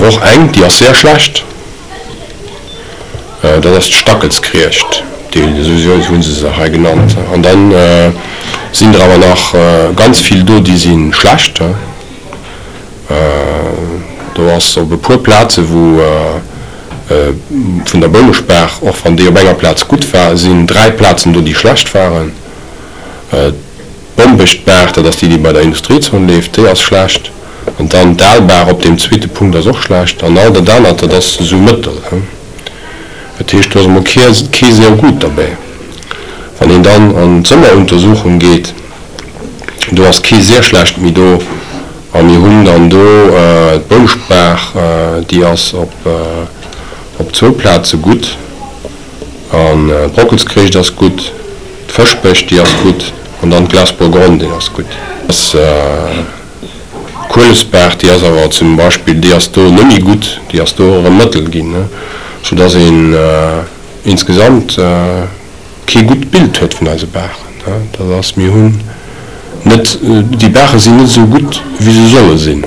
awer och eng, déi ass sehr schlecht, dat ass d'Stackelskriegt, déi, esou hu se se hei genannt. An da sinn der awer nach ganz vill do, déi si schlecht. Do ass op e puer Plaze wou vun der Bouneschbaach, och wann déi op enger Plaz gutt war, sinn 3 Plazen do, déi schlecht waren. D'Bombeschtbaach, dat ass déi, déi bei der Industriezon leeft, déi ass schlecht. An dann d'Aalbaach op deem zweete Punkt ass och schlecht. An all dat anert, dat ass esou mëttel. Dat heescht, do ass emol kee sehr gut derbäi. Wann een dann an d'Sommeruntersuchung geet, do ass kee sehr schlecht méi do. A mir hunn dann do d'Bouschbaach, déi ass op zwou Plaze gutt. An d'Brockelskréicht ass gutt, d'Fëschbech, déi ass gutt, an dann d'Glasburgronn, déi ass gutt. D'Kuelesbaach, déi ass awer zum Beispill, déi ass do net méi gutt, déi ass do erëm mëttel ginn, soudass een insgesamt kee gutt Bild huet vun eise Baachen. Dat ass, mir hunn net, déi Baache sinn net esou gutt, wéi se solle sinn.